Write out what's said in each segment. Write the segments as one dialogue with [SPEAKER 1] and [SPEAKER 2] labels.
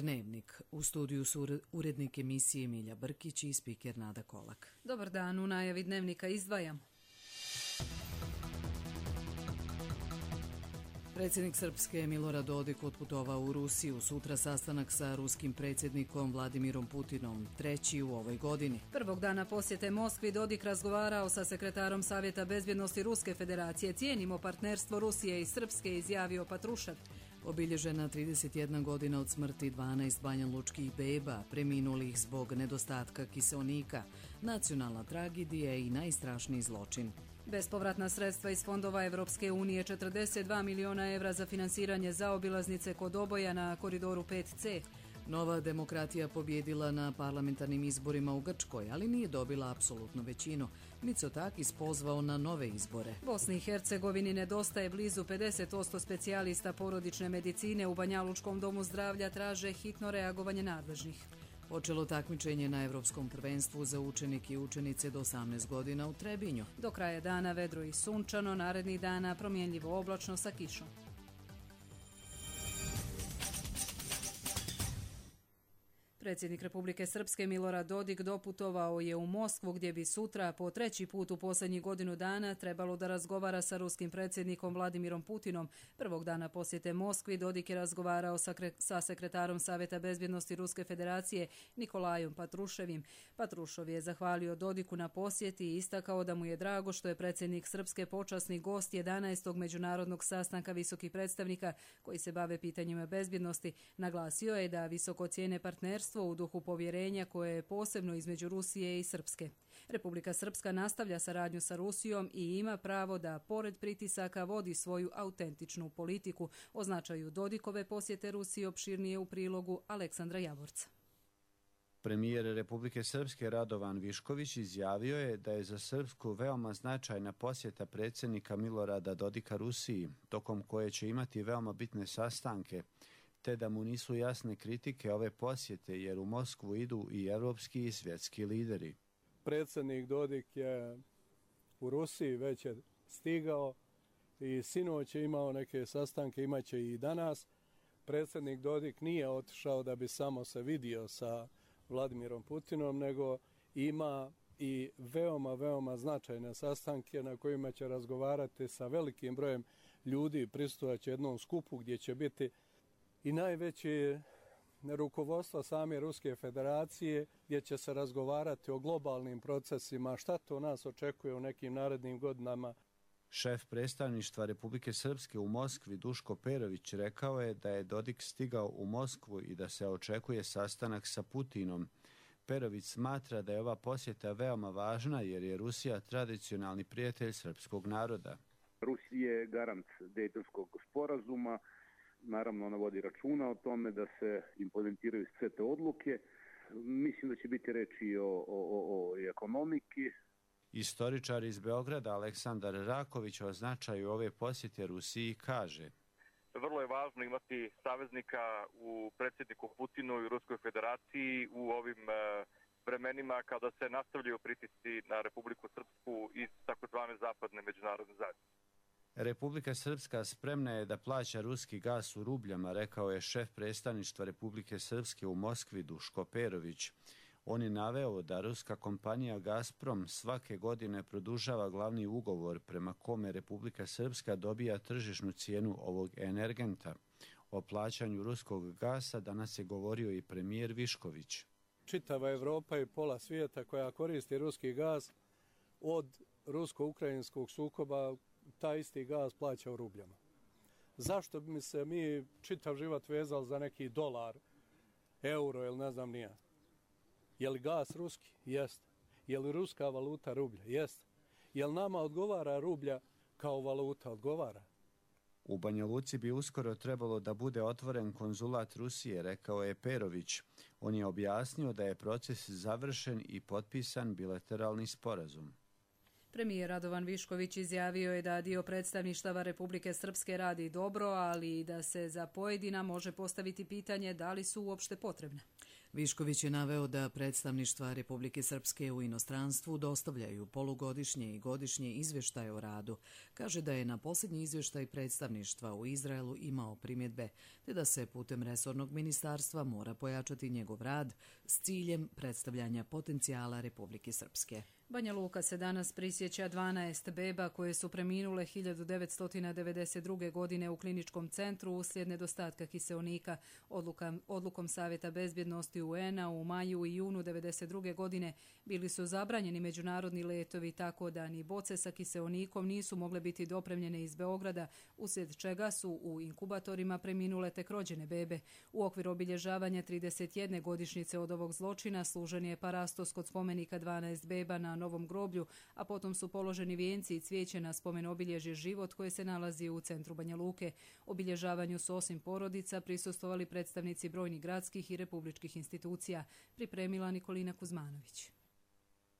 [SPEAKER 1] Dnevnik. U studiju su urednik emisije Milja Brkić i spiker Nada Kolak.
[SPEAKER 2] Dobar dan, u najavi Dnevnika izdvajam.
[SPEAKER 1] Predsjednik Srpske Milorad Dodik otputovao u Rusiju. Sutra sastanak sa ruskim predsjednikom Vladimirom Putinom, treći u ovoj godini.
[SPEAKER 2] Prvog dana posjete Moskvi Dodik razgovarao sa sekretarom Savjeta bezbjednosti Ruske federacije. Cijenimo partnerstvo Rusije i Srpske, izjavio Patrušev.
[SPEAKER 1] Obilježena 31 godina od smrti 12 banjalučkih beba, preminulih zbog nedostatka kiseonika, nacionalna tragedija i najstrašniji zločin.
[SPEAKER 2] Bespovratna sredstva iz fondova Evropske unije, 42 miliona evra za finansiranje zaobilaznice kod Oboja na koridoru 5C.
[SPEAKER 1] Nova demokratija pobjedila na parlamentarnim izborima u Grčkoj, ali nije dobila apsolutnu većinu. Mitsotakis pozvao na nove izbore.
[SPEAKER 2] Bosni i Hercegovini nedostaje blizu 50% specijalista porodične medicine. U Banjalučkom domu zdravlja traže hitno reagovanje nadležnih.
[SPEAKER 1] Počelo takmičenje na Evropskom prvenstvu za učenike i učenice do 18 godina u Trebinju.
[SPEAKER 2] Do kraja dana vedro i sunčano, narednih dana promjenljivo oblačno sa kišom. Predsjednik Republike Srpske Milorad Dodik doputovao je u Moskvu gdje bi sutra po treći put u posljednjih godinu dana trebalo da razgovara sa ruskim predsjednikom Vladimirom Putinom. Prvog dana posjete Moskvi Dodik je razgovarao sa sekretarom Savjeta bezbjednosti Ruske federacije Nikolajom Patruševim. Patrušov je zahvalio Dodiku na posjeti i istakao da mu je drago što je predsjednik Srpske počasni gost 11. međunarodnog sastanka visokih predstavnika koji se bave pitanjima bezbjednosti. Naglasio je da visoko cijene partnerstvo u duhu povjerenja koje je posebno između Rusije i Srpske. Republika Srpska nastavlja saradnju sa Rusijom i ima pravo da, pored pritisaka, vodi svoju autentičnu politiku. O značaju Dodikove posjete Rusiji opširnije u prilogu Aleksandra Javorca.
[SPEAKER 3] Premijer Republike Srpske Radovan Višković izjavio je da je za Srpsku veoma značajna posjeta predsjednika Milorada Dodika Rusiji, tokom koje će imati veoma bitne sastanke, te da mu nisu jasne kritike ove posjete jer u Moskvu idu i evropski i svjetski lideri.
[SPEAKER 4] Predsjednik Dodik je u Rusiji već je stigao i sinoć je imao neke sastanke, imaće i danas. Predsjednik Dodik nije otišao da bi samo se vidio sa Vladimirom Putinom, nego ima i veoma značajne sastanke na kojima će razgovarati sa velikim brojem ljudi, prisutvovat jednom skupu gdje će biti i najveće rukovodstvo same Ruske federacije, gdje će se razgovarati o globalnim procesima, šta to nas očekuje u nekim narednim godinama.
[SPEAKER 3] Šef predstavništva Republike Srpske u Moskvi Duško Perović rekao je da je Dodik stigao u Moskvu i da se očekuje sastanak sa Putinom. Perović smatra da je ova posjeta veoma važna jer je Rusija tradicionalni prijatelj srpskog naroda.
[SPEAKER 5] Rusija je garant Dejtonskog sporazuma. Naravno, ona vodi računa o tome da se implementiraju sve te odluke. Mislim da će biti reči o ekonomiki.
[SPEAKER 3] Istoričar iz Beograda Aleksandar Raković o značaju ove posjete Rusiji kaže:
[SPEAKER 6] vrlo je važno imati saveznika u predsjedniku Putinu i Ruskoj federaciji u ovim vremenima kada se nastavljaju pritisci na Republiku Srpsku iz takozvane zapadne međunarodne zajednice.
[SPEAKER 3] Republika Srpska spremna je da plaća ruski gas u rubljama, rekao je šef predstavništva Republike Srpske u Moskvi Duško Perović. On je naveo da ruska kompanija Gazprom svake godine produžava glavni ugovor prema kome Republika Srpska dobija tržišnu cijenu ovog energenta. O plaćanju ruskog gasa danas je govorio i premijer Višković.
[SPEAKER 4] Čitava Evropa i pola svijeta koja koristi ruski gaz od rusko-ukrajinskog sukoba taj isti gaz plaća u rubljama. Zašto bi se mi čitav život vezali za neki dolar, euro ili ne znam nija? Je li gaz ruski? Jeste. Je li ruska valuta rublja? Jeste. Je li nama odgovara rublja kao valuta? Odgovara.
[SPEAKER 3] U Banja Luci bi uskoro trebalo da bude otvoren konzulat Rusije, rekao je Perović. On je objasnio da je proces završen i potpisan bilateralni sporazum.
[SPEAKER 2] Premijer Radovan Višković izjavio je da dio predstavništava Republike Srpske radi dobro, ali i da se za pojedina može postaviti pitanje da li su uopšte potrebne.
[SPEAKER 1] Višković je naveo da predstavništva Republike Srpske u inostranstvu dostavljaju polugodišnje i godišnje izvještaje o radu. Kaže da je na posljednji izvještaj predstavništva u Izraelu imao primjedbe, te da se putem resornog ministarstva mora pojačati njegov rad s ciljem predstavljanja potencijala Republike Srpske.
[SPEAKER 2] Banja Luka se danas prisjeća 12 beba koje su preminule 1992. godine u kliničkom centru uslijed nedostatka kiseonika. Odlukom Savjeta bezbjednosti UN-a u maju i junu 1992. godine bili su zabranjeni međunarodni letovi, tako da ni boce sa kiseonikom nisu mogle biti dopremljene iz Beograda, uslijed čega su u inkubatorima preminule tek rođene bebe. U okviru obilježavanja 31. godišnjice od ovog zločina služen je parastos kod spomenika 12 beba na Novom groblju, a potom su položeni vijenci i cvijeće na spomen obilježje Život koje se nalazi u centru Banja Luke. Obilježavanju su osim porodica prisustvovali predstavnici brojnih gradskih i republičkih institucija, pripremila Nikolina Kuzmanović.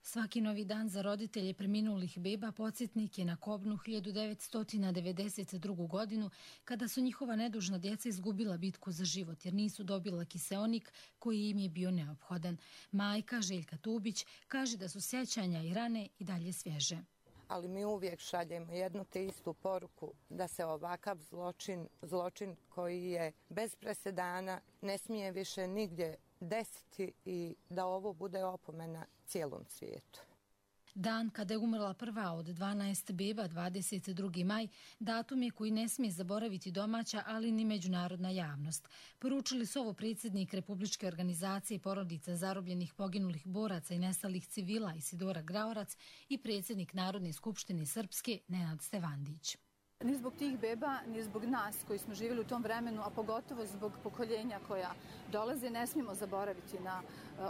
[SPEAKER 7] Svaki novi dan za roditelje preminulih beba podsjetnik je na kobnu 1992. godinu kada su njihova nedužna djeca izgubila bitku za život jer nisu dobila kiseonik koji im je bio neophodan. Majka Željka Tubić kaže da su sjećanja i rane i dalje svježe.
[SPEAKER 8] Ali mi uvijek šaljemo jednu te istu poruku da se ovakav zločin koji je bez presedana ne smije više nigdje desiti i da ovo bude opomena cijelom svijetu.
[SPEAKER 7] Dan kada je umrla prva od 12 beba, 22. maj, datum je koji ne smije zaboraviti domaća, ali ni međunarodna javnost. Poručili su ovo predsjednik Republičke organizacije porodica zarobljenih poginulih boraca i nestalih civila Isidora Graorac i predsjednik Narodne skupštine Srpske Nenad Stevandić.
[SPEAKER 9] Ni zbog tih beba, ni zbog nas koji smo živjeli u tom vremenu, a pogotovo zbog pokoljenja koja dolaze, ne smijemo zaboraviti na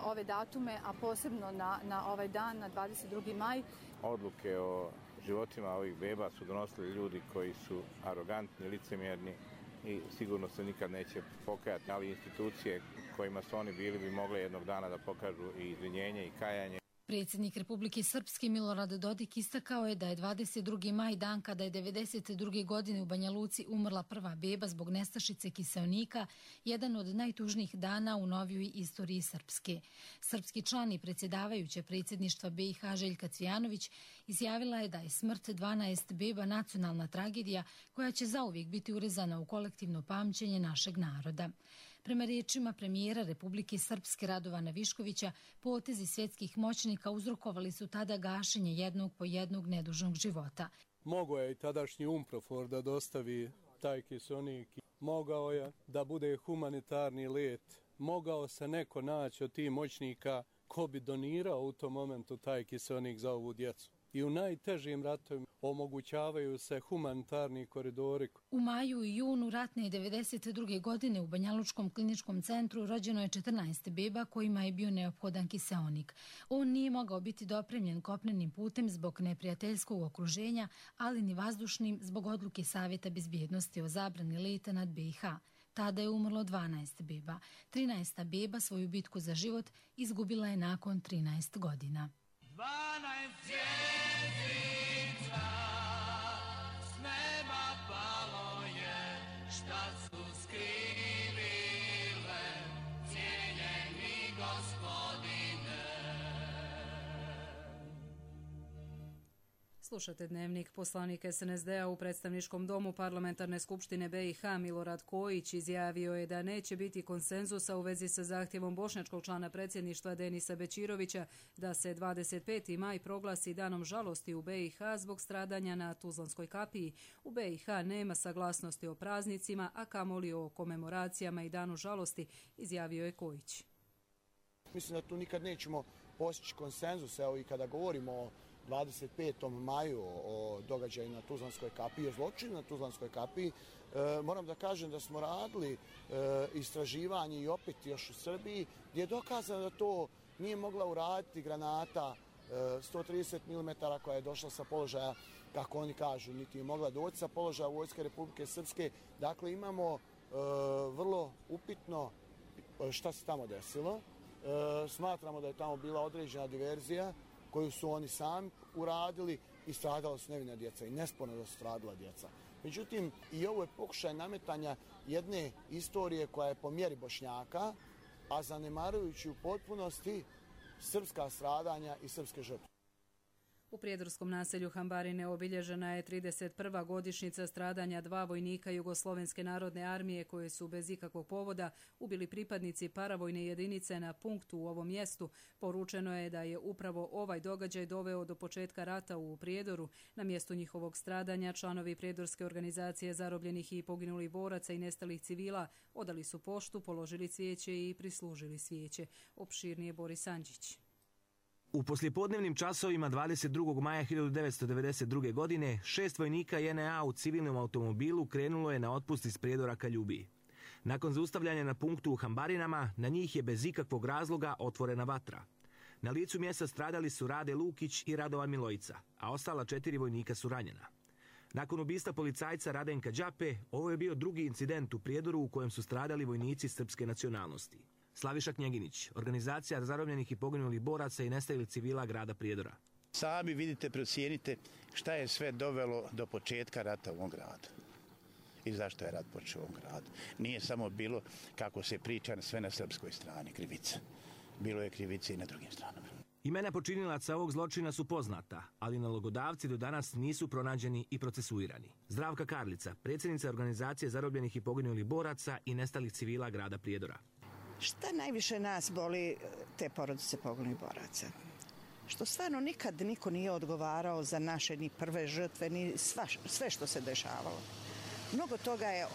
[SPEAKER 9] ove datume, a posebno na ovaj dan, na 22. maj.
[SPEAKER 10] Odluke o životima ovih beba su donosili ljudi koji su arogantni, licemjerni i sigurno se nikad neće pokajati, ali institucije kojima su oni bili bi mogle jednog dana da pokažu i izvinjenje i kajanje.
[SPEAKER 7] Predsjednik Republike Srpske Milorad Dodik istakao je da je 22. maj dan kada je 92. godine u Banja Luci umrla prva beba zbog nestašice kiseonika, jedan od najtužnijih dana u novijoj istoriji Srpske. Srpski član i predsjedavajuće predsjedništva BiH Željka Cvijanović izjavila je da je smrt 12 beba nacionalna tragedija koja će zauvijek biti urezana u kolektivno pamćenje našeg naroda. Prema riječima premijera Republike Srpske Radovana Viškovića, potezi svjetskih moćnika uzrokovali su tada gašenje jednog po jednog nedužnog života.
[SPEAKER 4] Mogao je i tadašnji UNPROFOR da dostavi taj kiseonik, mogao je da bude humanitarni let, mogao se neko naći od tih moćnika ko bi donirao u tom momentu taj kiseonik za ovu djecu. I u najtežim ratovima omogućavaju se humanitarni koridori.
[SPEAKER 7] U maju i junu ratne 92. godine u Banjalučkom kliničkom centru rođeno je 14 beba kojima je bio neophodan kiseonik. On nije mogao biti dopremljen kopnenim putem zbog neprijateljskog okruženja, ali ni vazdušnim zbog odluke Savjeta bezbjednosti o zabrani leta nad BiH. Tada je umrlo 12 beba. 13. beba svoju bitku za život izgubila je nakon 13 godina.
[SPEAKER 11] 12 zvjezdica s neba palo je, šta su skrivile cijeljeni gospodine.
[SPEAKER 2] Slušate Dnevnik. Poslanik SNSD-a u predstavničkom domu Parlamentarne skupštine BiH Milorad Kojić izjavio je da neće biti konsenzusa u vezi sa zahtjevom bošnjačkog člana predsjedništva Denisa Bećirovića da se 25. maj proglasi danom žalosti u BiH zbog stradanja na Tuzlanskoj kapiji. U BiH nema saglasnosti o praznicima, a kamoli o komemoracijama i danu žalosti, izjavio je Kojić.
[SPEAKER 12] Mislim da tu nikad nećemo postići konsenzus, evo i kada govorimo o 25. maju o događaju na Tuzlanskoj kapiji, o zločinu na Tuzlanskoj kapiji, moram da kažem da smo radili istraživanje i opet još u Srbiji, gdje je dokazano da to nije mogla uraditi granata 130 mm koja je došla sa položaja, kako oni kažu, niti je mogla doći sa položaja Vojske Republike Srpske. Dakle, imamo vrlo upitno šta se tamo desilo. Smatramo da je tamo bila određena diverzija koju su oni sami uradili i stradala su nevina djeca i nesporno da su stradala djeca. Međutim, i ovo je pokušaj nametanja jedne istorije koja je po mjeri Bošnjaka, a zanemarujući u potpunosti srpska stradanja i srpske žrtve.
[SPEAKER 2] U prijedorskom naselju Hambarine obilježena je 31. godišnjica stradanja 2 vojnika Jugoslovenske narodne armije koje su bez ikakvog povoda ubili pripadnici paravojne jedinice na punktu u ovom mjestu. Poručeno je da je upravo ovaj događaj doveo do početka rata u Prijedoru. Na mjestu njihovog stradanja članovi Prijedorske organizacije zarobljenih i poginulih boraca i nestalih civila odali su poštu, položili cvijeće i prislužili svijeće. Opširnije Boris Andžić.
[SPEAKER 13] U poslijepodnevnim časovima 22. maja 1992. godine 6 vojnika JNA u civilnom automobilu krenulo je na otpust iz Prijedora ka Ljubiji. Nakon zaustavljanja na punktu u Hambarinama, na njih je bez ikakvog razloga otvorena vatra. Na licu mjesta stradali su Rade Lukić i Radovan Milojica, a ostala 4 vojnika su ranjena. Nakon ubistva policajca Radenka Đape, ovo je bio drugi incident u Prijedoru u kojem su stradali vojnici srpske nacionalnosti. Slaviša Knjeginić, organizacija zarobljenih i poginulih boraca i nestalih civila grada Prijedora.
[SPEAKER 14] Sami vidite, procijenite šta je sve dovelo do početka rata u ovom gradu. I zašto je rat počeo u ovom gradu. Nije samo bilo, kako se priča, sve na srpskoj strani krivica. Bilo je krivice i na drugim stranama.
[SPEAKER 13] Imena počinilaca ovog zločina su poznata, ali nalogodavci do danas nisu pronađeni i procesuirani. Zdravka Karlica, predsjednica organizacije zarobljenih i poginulih boraca i nestalih civila grada Prijedora.
[SPEAKER 15] Šta najviše nas boli te porodice poginulih boraca? Što stvarno nikad niko nije odgovarao za naše ni prve žrtve, ni sve što se dešavalo. Mnogo toga je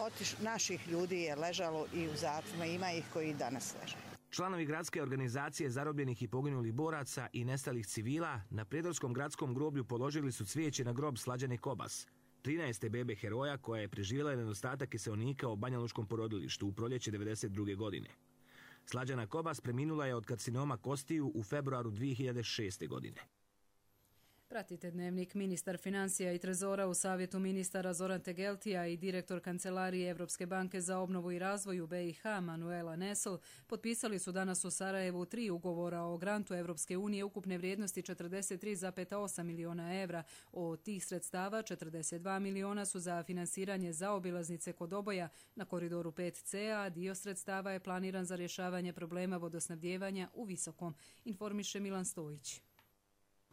[SPEAKER 15] naših ljudi je ležalo i u zatvorima, ima ih koji i danas leže.
[SPEAKER 13] Članovi gradske organizacije zarobljenih i poginulih boraca i nestalih civila na Prijedorskom gradskom groblju položili su cvijeće na grob Slađane Kobas, 13. bebe heroja koja je preživjela nedostatak kiseonika u banjalučkom porodilištu u proljeće 1992. godine. Slađana Kobas preminula je od karcinoma kostiju u februaru 2006. godine.
[SPEAKER 2] Pratite dnevnik. Ministar financija i trezora u savjetu ministara Zoran Tegeltija i direktor Kancelarije Evropske banke za obnovu i razvoj u BiH Manuela Nesl potpisali su danas u Sarajevu 3 ugovora o grantu Evropske unije ukupne vrijednosti 43,8 miliona evra. Od tih sredstava 42 miliona su za finansiranje zaobilaznice kod Oboja na koridoru 5C, a dio sredstava je planiran za rješavanje problema vodosnabdijevanja u Visokom, informiše Milan Stojić.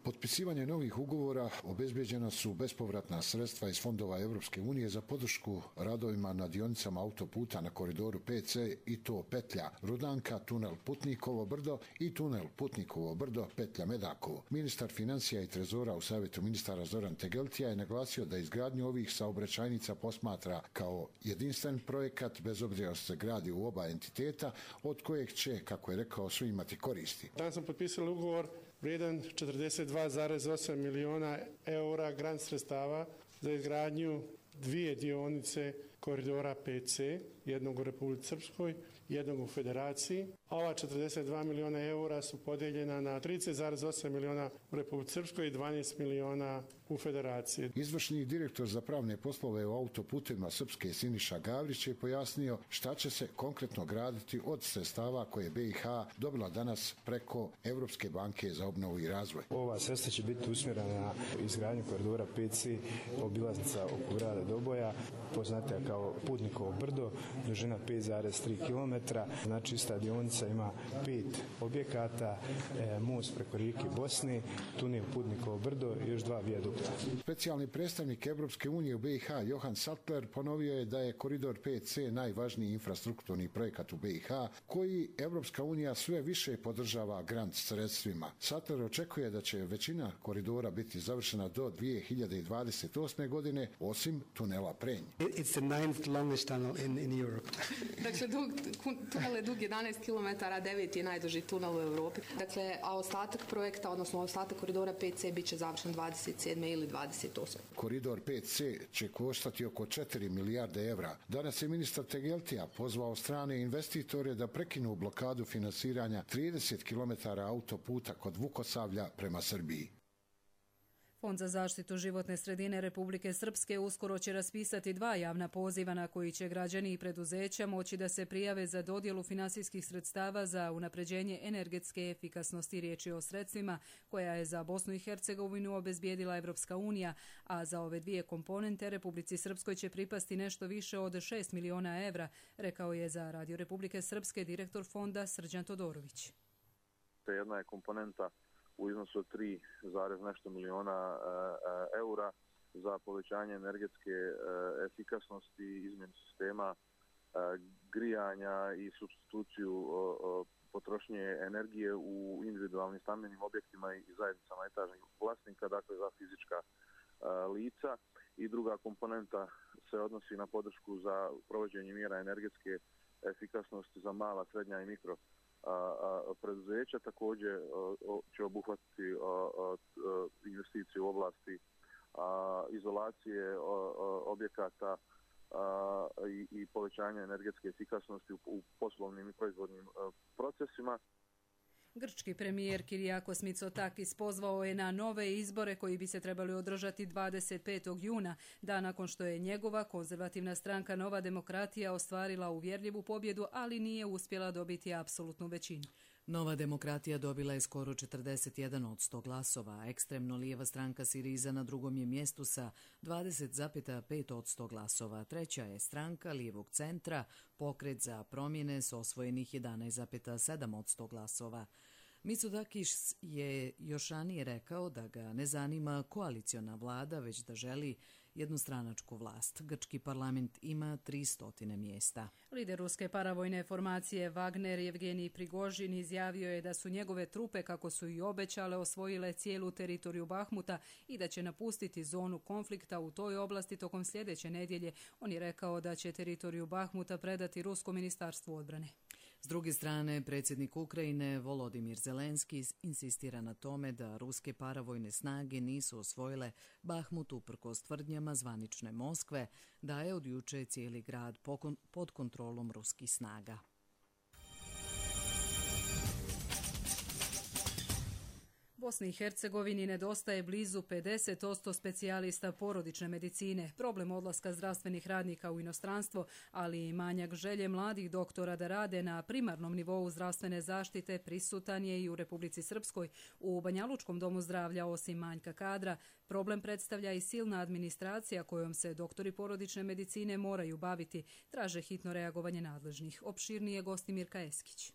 [SPEAKER 16] Potpisivanje novih ugovora obezbeđena su bespovratna sredstva iz fondova Evropske unije za podršku radovima na dionicama autoputa na koridoru 5C i to petlja Rudanka, tunel Putnikovo brdo i tunel Putnikovo brdo, petlja Medakovo. Ministar financija i trezora u savjetu ministara Zoran Tegeltija je naglasio da izgradnju ovih saobraćajnica posmatra kao jedinstven projekat bez obzira što se gradi u oba entiteta od kojeg će, kako je rekao, svi imati koristi.
[SPEAKER 17] Danas smo potpisali ugovor vrijedan 42,8 miliona eura grant sredstava za izgradnju 2 dionice koridora 5C, jednog u Republici Srpskoj, jednog u Federaciji. Ova 42 miliona eura su podijeljena na 30,8 miliona u Republici Srpskoj i 12 miliona u Federaciji.
[SPEAKER 16] Izvršni direktor za pravne poslove u autoputima Srpske Siniša Gavrić je pojasnio šta će se konkretno graditi od sredstava koje BiH dobila danas preko Evropske banke za obnovu i razvoj.
[SPEAKER 18] Ova sredstva će biti usmjerena na izgradnju koridora 5C, obilaznica oko grada Doboja, poznatija kao Putnikovo brdo, dužina 5,3 km. Znači, ista dionica ima 5 objekata, most preko rijeke Bosne, tunel Putnikovo brdo i još 2 vijadukta.
[SPEAKER 16] Specijalni predstavnik Evropske unije u BiH Johan Sattler ponovio je da je koridor 5C najvažniji infrastrukturni projekat u BiH koji Evropska unija sve više podržava grant sredstvima. Sattler očekuje da će većina koridora biti završena do 2028. godine, osim tunela Prenj.
[SPEAKER 19] It's the 9th longest tunnel in Europe.
[SPEAKER 20] Dakle, tunel je dug 11 km, 9 je najduži tunel u Europi. Dakle, a ostatak projekta, odnosno ostatak koridora 5C bit će završen 27. ili 28.
[SPEAKER 16] Koridor 5C će koštati oko 4 milijarde evra. Danas je ministar Tegeltija pozvao strane investitore da prekinu blokadu finansiranja 30 km autoputa kod Vukosavlja prema Srbiji.
[SPEAKER 2] Fond za zaštitu životne sredine Republike Srpske uskoro će raspisati 2 javna poziva na koji će građani i preduzeća moći da se prijave za dodjelu finansijskih sredstava za unapređenje energetske efikasnosti. Riječ je o sredstvima koja je za Bosnu i Hercegovinu obezbijedila Evropska unija, a za ove 2 komponente Republici Srpskoj će pripasti nešto više od 6 miliona evra, rekao je za Radio Republike Srpske direktor fonda Srđan Todorović.
[SPEAKER 21] Jedna je komponenta u iznosu od 3, nešto miliona eura za povećanje energetske efikasnosti, izmjenu sistema grijanja i supstituciju potrošnje energije u individualnim stambenim objektima i zajednicama etažnih vlasnika, dakle za fizička lica. I druga komponenta se odnosi na podršku za provođenje mjera energetske efikasnosti za mala, srednja i mikro preduzeća. Također će obuhvatiti investicije u oblasti izolacije objekata i povećanja energetske efikasnosti u poslovnim i proizvodnim procesima.
[SPEAKER 2] Grčki premijer Kyriakos Mitsotakis pozvao je na nove izbore koji bi se trebali održati 25. juna, dan nakon što je njegova konzervativna stranka Nova demokratija ostvarila uvjerljivu pobjedu, ali nije uspjela dobiti apsolutnu većinu.
[SPEAKER 1] Nova demokratija dobila je skoro 41 od 100 glasova, a ekstremno lijeva stranka Siriza na drugom je mjestu sa 20,5 od 100 glasova. Treća je stranka lijevog centra, Pokret za promjene s osvojenih 11,7 od 100 glasova. Mitsotakis je još ranije rekao da ga ne zanima koaliciona vlada, već da želi jednostranačku vlast. Grčki parlament ima 300 mjesta.
[SPEAKER 2] Lider ruske paravojne formacije Wagner Jevgenij Prigožin izjavio je da su njegove trupe, kako su i obećale, osvojile cijelu teritoriju Bahmuta i da će napustiti zonu konflikta u toj oblasti tokom sljedeće nedjelje. On je rekao da će teritoriju Bahmuta predati Ruskom ministarstvu odbrane.
[SPEAKER 1] S druge strane, predsjednik Ukrajine Volodimir Zelenski insistira na tome da ruske paravojne snage nisu osvojile Bahmut uprkos tvrdnjama zvanične Moskve da je od juče cijeli grad pod kontrolom ruskih snaga.
[SPEAKER 2] Bosni i Hercegovini nedostaje blizu 50% specijalista porodične medicine. Problem odlaska zdravstvenih radnika u inostranstvo, ali i manjak želje mladih doktora da rade na primarnom nivou zdravstvene zaštite prisutan je i u Republici Srpskoj. U Banjalučkom domu zdravlja, osim manjka kadra, problem predstavlja i silna administracija kojom se doktori porodične medicine moraju baviti. Traže hitno reagovanje nadležnih. Opširnije gosti Mirka Eskić.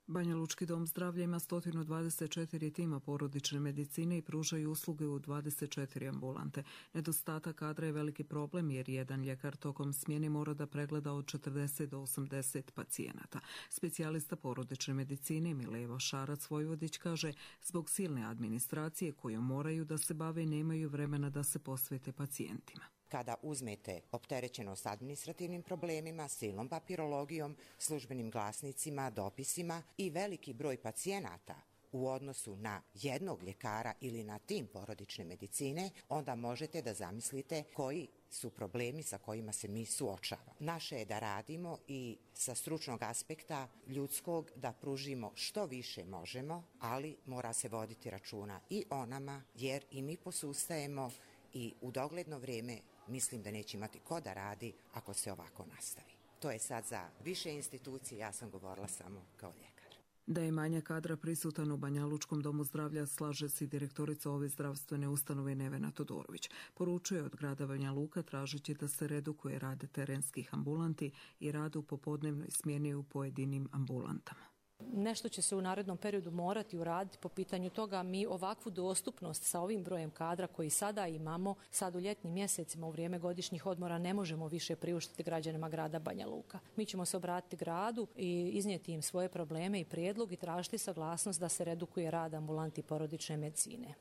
[SPEAKER 22] Banjalučki dom zdravlja ima 124 tima porodične medicine i pružaju usluge u 24 ambulante. Nedostatak kadra je veliki problem jer jedan ljekar tokom smjene mora da pregleda od 40 do 80 pacijenata. Specijalista porodične medicine Mileva Šarac-Vojvodić kaže zbog silne administracije kojom moraju da se bave nemaju vremena da se posvete pacijentima.
[SPEAKER 23] Kada uzmete opterećenost administrativnim problemima, silnom papirologijom, službenim glasnicima, dopisima i veliki broj pacijenata u odnosu na jednog ljekara ili na tim porodične medicine, onda možete da zamislite koji su problemi sa kojima se mi suočavamo. Naše je da radimo i sa stručnog aspekta ljudskog da pružimo što više možemo, ali mora se voditi računa i o nama, jer i mi posustajemo i u dogledno vrijeme mislim da neće imati ko da radi ako se ovako nastavi. To je sad za više institucije, ja sam govorila samo kao ljekar.
[SPEAKER 22] Da je manjak kadra prisutan u Banjalučkom domu zdravlja slaže se i direktorica ove zdravstvene ustanove Nevena Todorović. Poručuje od grada Banja Luka tražeći da se redukuje rad terenskih ambulanti i rad u popodnevnoj smjeni u pojedinim ambulantama.
[SPEAKER 24] Nešto će se u narednom periodu morati uraditi po pitanju toga. Mi ovakvu dostupnost sa ovim brojem kadra koji sada imamo, sad u ljetnim mjesecima u vrijeme godišnjih odmora ne možemo više priuštiti građanima grada Banja Luka. Mi ćemo se obratiti gradu i iznijeti im svoje probleme i prijedlog i tražiti saglasnost da se redukuje rad ambulanti porodične medicine.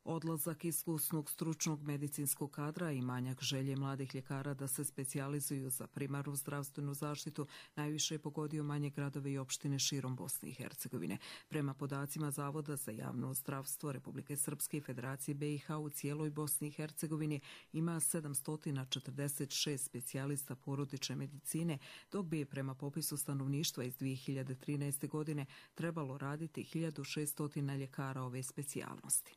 [SPEAKER 22] Odlazak iskusnog stručnog medicinskog kadra i manjak želje mladih ljekara da se specijalizuju za primarnu zdravstvenu zaštitu najviše je pogodio manje gradove i opštine širom Bosne i Hercegovine. Prema podacima Zavoda za javno zdravstvo Republike Srpske i Federacije BiH u cijeloj Bosni i Hercegovini ima 746 specijalista porodične medicine, dok bi prema popisu stanovništva iz 2013. godine trebalo raditi 1600 ljekara ove specijalnosti.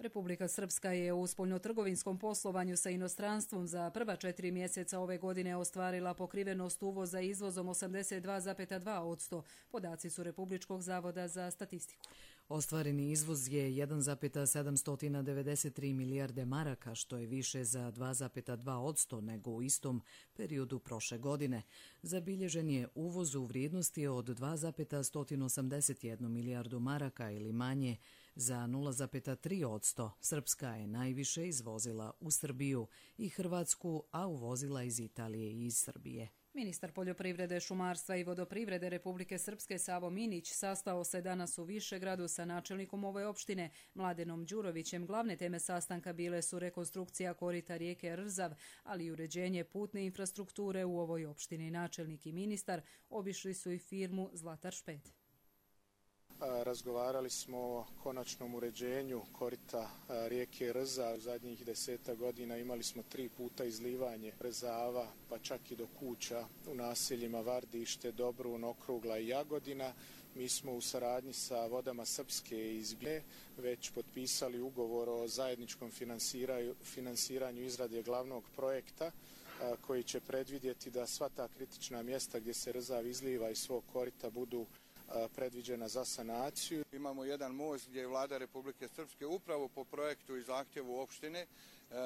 [SPEAKER 2] Republika Srpska je u spoljnotrgovinskom poslovanju sa inostranstvom za prva 4 mjeseca ove godine ostvarila pokrivenost uvoza izvozom 82,2%. Podaci su Republičkog zavoda za statistiku.
[SPEAKER 1] Ostvareni izvoz je 1,793 milijarde maraka, što je više za 2,2% nego u istom periodu prošle godine. Zabilježen je uvoz u vrijednosti od 2,181 milijardu maraka ili manje za 0,3%. Srpska je najviše izvozila u Srbiju i Hrvatsku, a uvozila iz Italije i iz Srbije.
[SPEAKER 2] Ministar poljoprivrede, šumarstva i vodoprivrede Republike Srpske Savo Minić sastao se danas u Višegradu sa načelnikom ove opštine Mladenom Đurovićem. Glavne teme sastanka bile su rekonstrukcija korita rijeke Rzav, ali i uređenje putne infrastrukture u ovoj opštini. Načelnik i ministar obišli su i firmu Zlatar Šped.
[SPEAKER 3] Razgovarali smo o konačnom uređenju korita rijeke Rza. U zadnjih 10 godina imali smo 3 puta izlivanje Rzava, pa čak i do kuća u naseljima Vardište, Dobrun, Okrugla i Jagodina. Mi smo u saradnji sa Vodama Srpske iz Bije već potpisali ugovor o zajedničkom finansiranju izrade glavnog projekta koji će predvidjeti da sva ta kritična mjesta gdje se Rzav izliva iz svog korita budu predviđena za sanaciju.
[SPEAKER 5] Imamo jedan most gdje je Vlada Republike Srpske upravo po projektu i zahtjevu opštine,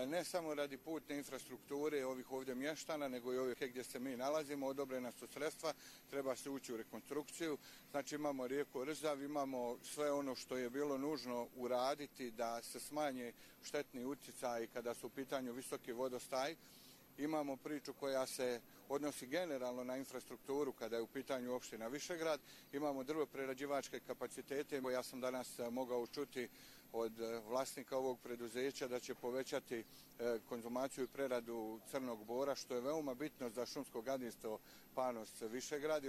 [SPEAKER 5] ne samo radi putne infrastrukture ovih ovdje mještana, nego i ovih gdje se mi nalazimo, odobrena su sredstva, treba se ući u rekonstrukciju. Znači imamo rijeku Rzav, imamo sve ono što je bilo nužno uraditi da se smanje štetni utjecaji kada su u pitanju visoki vodostaj. Imamo priču koja se odnosi generalno na infrastrukturu kada je u pitanju opština Višegrad. Imamo drvoprerađivačke kapacitete. Ja sam danas mogao čuti od vlasnika ovog preduzeća da će povećati konzumaciju i preradu crnog bora, što je veoma bitno za šumsko gazdinstvo Panos Višegrad.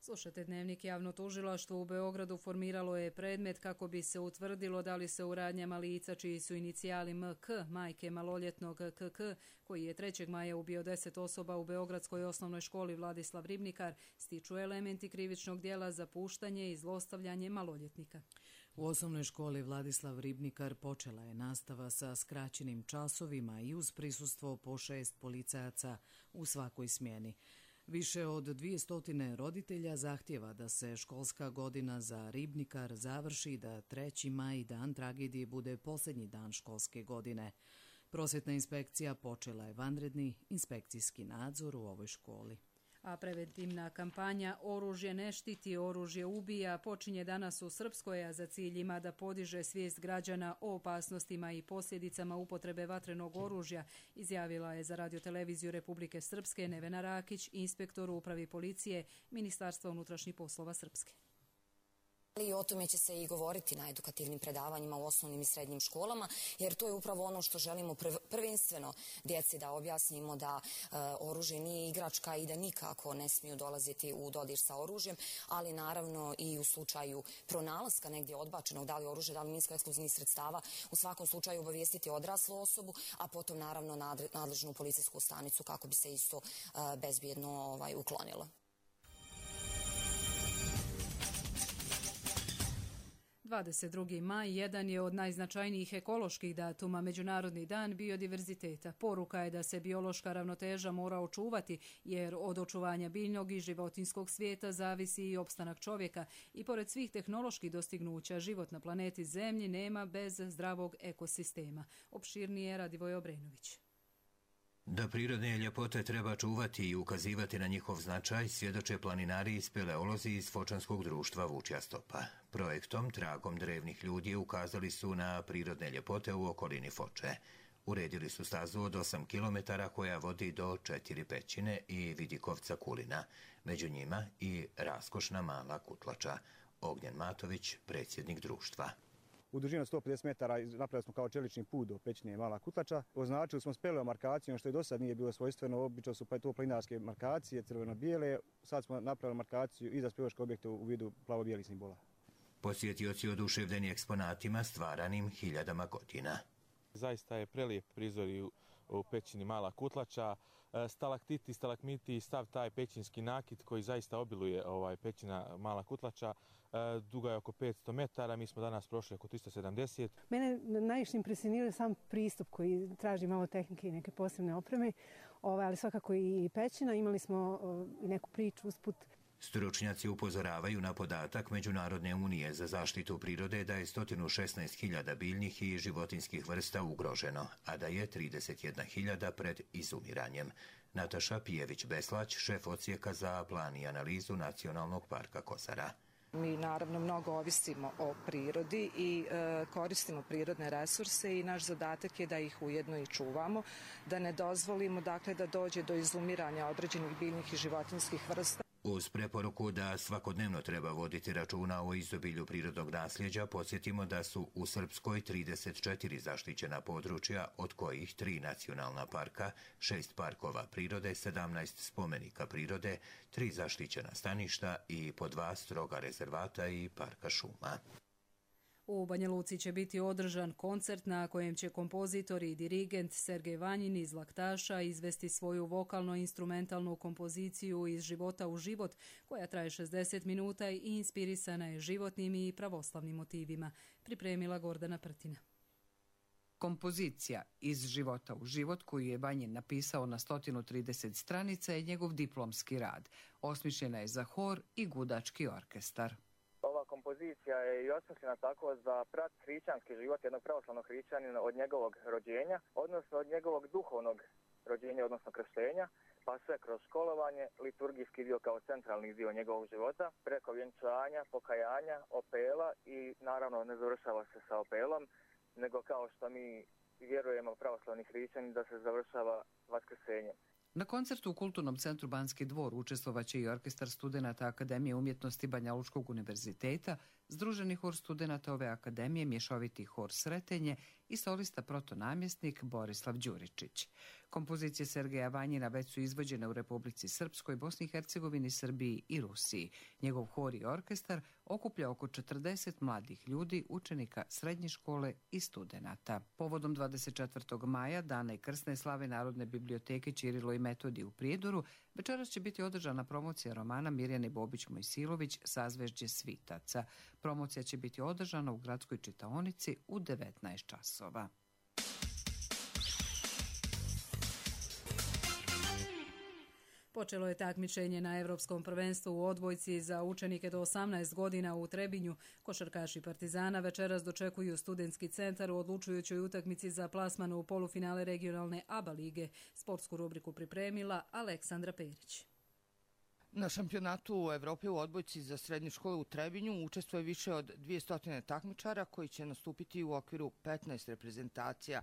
[SPEAKER 2] Slušate Dnevnik. Javno tužilaštvo u Beogradu formiralo je predmet kako bi se utvrdilo da li se u radnjama lica čiji su inicijali MK, majke maloljetnog KK, koji je 3. maja ubio 10 osoba u Beogradskoj osnovnoj školi Vladislav Ribnikar, stiču elementi krivičnog djela za puštanje i zlostavljanje maloljetnika.
[SPEAKER 1] U osnovnoj školi Vladislav Ribnikar počela je nastava sa skraćenim časovima i uz prisustvo po 6 policajaca u svakoj smjeni. Više od 200 roditelja zahtjeva da se školska godina za Ribnikar završi, da 3. maj, dan tragedije, bude posljednji dan školske godine. Prosvjetna inspekcija počela je vanredni inspekcijski nadzor u ovoj školi.
[SPEAKER 2] A preventivna kampanja Oružje ne štiti, oružje ubija počinje danas u Srpskoj, a za cilj ima da podiže svijest građana o opasnostima i posljedicama upotrebe vatrenog oružja, izjavila je za radioteleviziju Republike Srpske Nevena Rakić, inspektor u upravi policije Ministarstva unutrašnjih poslova Srpske.
[SPEAKER 6] I o tome će se i govoriti na edukativnim predavanjima u osnovnim i srednjim školama, jer to je upravo ono što želimo prvenstveno djeci da objasnimo, da oružje nije igračka i da nikako ne smiju dolaziti u dodir sa oružjem, ali naravno i u slučaju pronalaska negdje odbačenog, da li oružje, da li minsko-eksplozivnih sredstava, u svakom slučaju obavijestiti odraslu osobu, a potom naravno nadležnu policijsku stanicu kako bi se isto bezbjedno uklonilo.
[SPEAKER 2] 22. maj jedan je od najznačajnijih ekoloških datuma, Međunarodni dan biodiverziteta. Poruka je da se biološka ravnoteža mora očuvati, jer od očuvanja biljnog i životinjskog svijeta zavisi i opstanak čovjeka. I pored svih tehnoloških dostignuća, život na planeti Zemlji nema bez zdravog ekosistema. Opširnije Radivoj Obrenović.
[SPEAKER 8] Da prirodne ljepote treba čuvati i ukazivati na njihov značaj, svjedoče planinari i speleolozi iz Fočanskog društva Vučja stopa. Projektom Tragom drevnih ljudi ukazali su na prirodne ljepote u okolini Foče. Uredili su stazu od 8 km koja vodi do 4 pećine i Vidikovca Kulina. Među njima i raskošna mala Kutlača. Ognjen Matović, predsjednik društva.
[SPEAKER 25] U dužini od 150 metara napravili smo kao čelični put do pećine Mala Kutlača. Označili smo speleomarkacijom, što i do sad nije bilo svojstveno. Obično su to planinarske markacije, crveno-bijele. Sad smo napravili markaciju i za speleološke objekte u vidu plavo-bijelih simbola.
[SPEAKER 8] Posjetioci oduševljeni eksponatima stvaranim hiljadama godina.
[SPEAKER 26] Zaista je prelijep prizor i
[SPEAKER 4] u pećini Mala Kutlača. Stalaktiti, stalagmiti i stav taj pećinski nakit koji zaista obiluje pećina Mala Kutlača. Duga je oko 500 metara, mi smo danas prošli oko 370.
[SPEAKER 7] Mene najviše impresionira sam pristup koji traži malo tehnike i neke posebne opreme, ali svakako i pećina. Imali smo i neku priču usput.
[SPEAKER 8] Stručnjaci upozoravaju na podatak Međunarodne unije za zaštitu prirode da je 116.000 biljnih i životinskih vrsta ugroženo, a da je 31.000 pred izumiranjem. Nataša Pijević-Beslać, šef odsjeka za plan i analizu Nacionalnog parka Kosara.
[SPEAKER 9] Mi naravno mnogo ovisimo o prirodi i koristimo prirodne resurse i naš zadatak je da ih ujedno i čuvamo, da ne dozvolimo dakle da dođe do izumiranja određenih biljnih i životinjskih vrsta.
[SPEAKER 8] Uz preporuku da svakodnevno treba voditi računa o izobilju prirodnog nasljeđa, podsjetimo da su u Srpskoj 34 zaštićena područja, od kojih 3 nacionalna parka, 6 parkova prirode, 17 spomenika prirode, 3 zaštićena staništa i po 2 stroga rezervata i parka šuma.
[SPEAKER 2] U Banja Luci će biti održan koncert na kojem će kompozitor i dirigent Sergej Vanjin iz Laktaša izvesti svoju vokalno-instrumentalnu kompoziciju Iz života u život, koja traje 60 minuta i inspirisana je životnim i pravoslavnim motivima, pripremila Gordana Prtina.
[SPEAKER 10] Kompozicija Iz života u život, koju je Vanjin napisao na 130 stranica, je njegov diplomski rad. Osmišljena je za hor i gudački orkestar.
[SPEAKER 11] Kompozicija je i osmišljena tako za prat hrišćanski život jednog pravoslavnog hrišćanina od njegovog rođenja, odnosno od njegovog duhovnog rođenja, odnosno krštenja, pa sve kroz školovanje, liturgijski dio kao centralni dio njegovog života, preko vjenčanja, pokajanja, opela i naravno ne završava se sa opelom, nego kao što mi vjerujemo pravoslavni hrišćani da se završava vaskrsenjem.
[SPEAKER 10] Na koncertu u Kulturnom centru Banski dvor učestvovaće i orkestar studenata Akademije umjetnosti Banja Lučkog univerziteta, združeni hor studenata ove akademije, mješoviti hor Sretenje i solista protonamjesnik Borislav Đuričić. Kompozicije Sergeja Vanjina već su izvođene u Republici Srpskoj, Bosni i Hercegovini, Srbiji i Rusiji. Njegov hor i orkestar okuplja oko 40 mladih ljudi, učenika srednje škole i studenata. Povodom 24. maja, dana i krsne slave Narodne biblioteke Ćirilo i Metodij u Prijedoru, večeras će biti održana promocija romana Mirjane Bobić-Mojsilović Sazvežđe svitaca. Promocija će biti održana u gradskoj čitaonici u 19 časova.
[SPEAKER 2] Počelo je takmičenje na Evropskom prvenstvu u odbojci za učenike do 18 godina u Trebinju. Košarkaši Partizana večeras dočekuju Studentski centar u odlučujućoj utakmici za plasman u polufinale regionalne ABA lige. Sportsku rubriku pripremila Aleksandra Perić.
[SPEAKER 26] Na šampionatu u Evropi u odbojci za srednje škole u Trebinju učestvuje više od 200 takmičara koji će nastupiti u okviru 15 reprezentacija.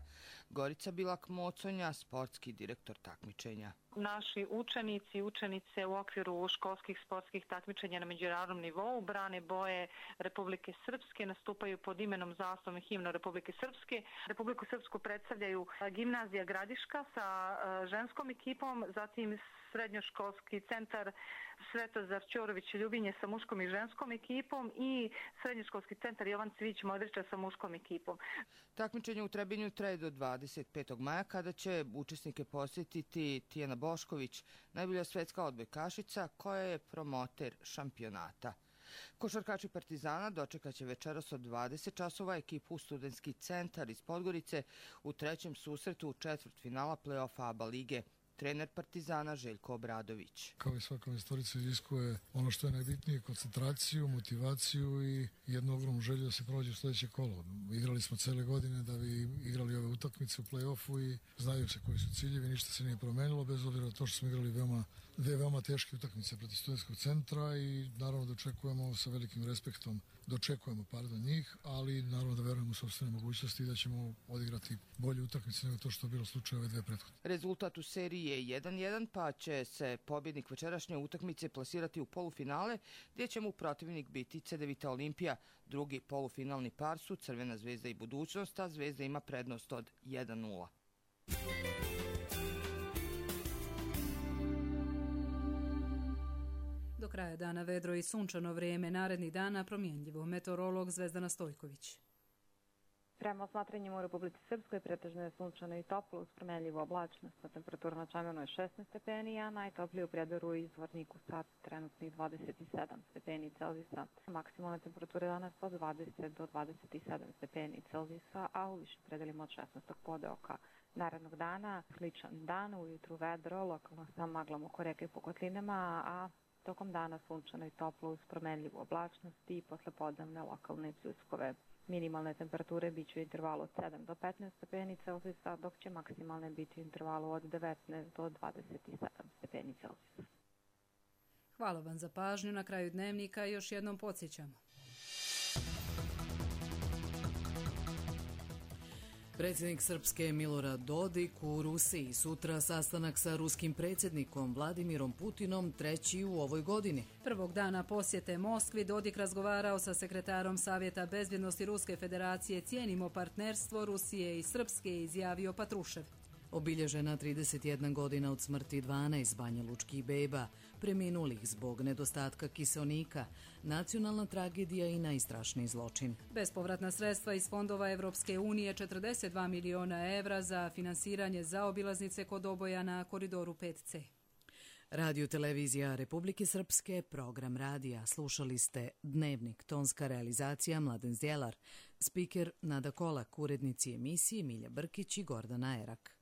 [SPEAKER 26] Gorica Bilak-Moconja, sportski direktor takmičenja.
[SPEAKER 27] Naši učenici i učenice u okviru školskih sportskih takmičenja na međunarodnom nivou brane boje Republike Srpske, nastupaju pod imenom, zastavom i himnom Republike Srpske. Republiku Srpsku predstavljaju Gimnazija Gradiška sa ženskom ekipom, zatim Srednjoškolski centar Svetozar Ćorović Ljubinje sa muškom i ženskom ekipom i Srednjoškolski centar Jovan Cvić Modrića sa muškom ekipom.
[SPEAKER 26] Takmičenje u Trebinju traje do 25. maja kada će učesnike posjetiti Tijana Bošković, najbolja svetska odbojkašica koja je promoter šampionata. Košarkači Partizana dočekaće večeras od 20 časova ekipu Studentski centar iz Podgorice u trećem susretu četvrtfinala play-offa ABA lige. Trener Partizana Željko Obradović.
[SPEAKER 28] Kao i svaka investorica iziskuje ono što je najbitnije, koncentraciju, motivaciju i jednu ogromnu želju da se prođe u sljedeće kolo. Igrali smo cele godine da bi igrali ove utakmice u play-offu i znaju se koji su ciljevi, ništa se nije promenilo, bez obzira na to što smo igrali dve veoma teške utakmice protiv Studentskog centra i naravno da očekujemo sa velikim respektom njih, ali naravno da verujemo u sopstvene mogućnosti i da ćemo odigrati bolje utakmice nego to što je bilo slučaj ove dve prethodne.
[SPEAKER 26] Rezultat u seriji je 1-1, pa će se pobjednik večerašnje utakmice plasirati u polufinale, gdje će mu protivnik biti Cedevita Olimpija. Drugi polufinalni par su Crvena zvezda i Budućnost, a Zvezda ima prednost od 1-0.
[SPEAKER 2] Do kraja dana vedro i sunčano vrijeme, narednih dana promjenljivo. Meteorolog Zvezdana Stojković.
[SPEAKER 12] Prema osmatranjima u Republici Srpskoj pretežno je sunčano i toplo uz promenljivu oblačnost. Temperatura na Čamenu je 16 stepeni, a najtoplije u Prijedoru i Zvorniku sad trenutnih 27 stepeni Celzijusa. Maksimalne temperature danas od 20 do 27 stepeni Celzijusa, a u višim predelima od 16. podeoka. Narednog dana sličan dan, ujutru vedro, lokalno sa maglom oko reke i po kotlinama, a tokom dana sunčano i toplo uz promenljivu oblačnost i poslepodnevne lokalne pljuskove. Minimalne temperature bit će u intervalu od 7 do 15 stepeni Celzijusa, dok će maksimalne biti u intervalu od 19 do 27 stepeni Celzijusa.
[SPEAKER 2] Hvala vam za pažnju. Na kraju dnevnika još jednom podsjećamo.
[SPEAKER 1] Predsjednik Srpske Milorad Dodik u Rusiji, sutra sastanak sa ruskim predsjednikom Vladimirom Putinom, treći u ovoj godini.
[SPEAKER 2] Prvog dana posjete Moskvi Dodik razgovarao sa sekretarom Savjeta bezbjednosti Ruske federacije. Cijenimo partnerstvo Rusije i Srpske, izjavio Patrušev.
[SPEAKER 1] Obilježena 31 godina od smrti 12 banjalučkih beba, preminulih zbog nedostatka kiseonika, nacionalna tragedija i najstrašniji zločin.
[SPEAKER 2] Bespovratna sredstva iz fondova Evropske unije, 42 miliona evra za finansiranje zaobilaznice kod Oboja na koridoru 5C.
[SPEAKER 1] Radio televizija Republike Srpske, program radija. Slušali ste Dnevnik, tonska realizacija Mladen Zdjelar, spiker Nada Kolak, urednici emisije Milja Brkić i Gordana Erak.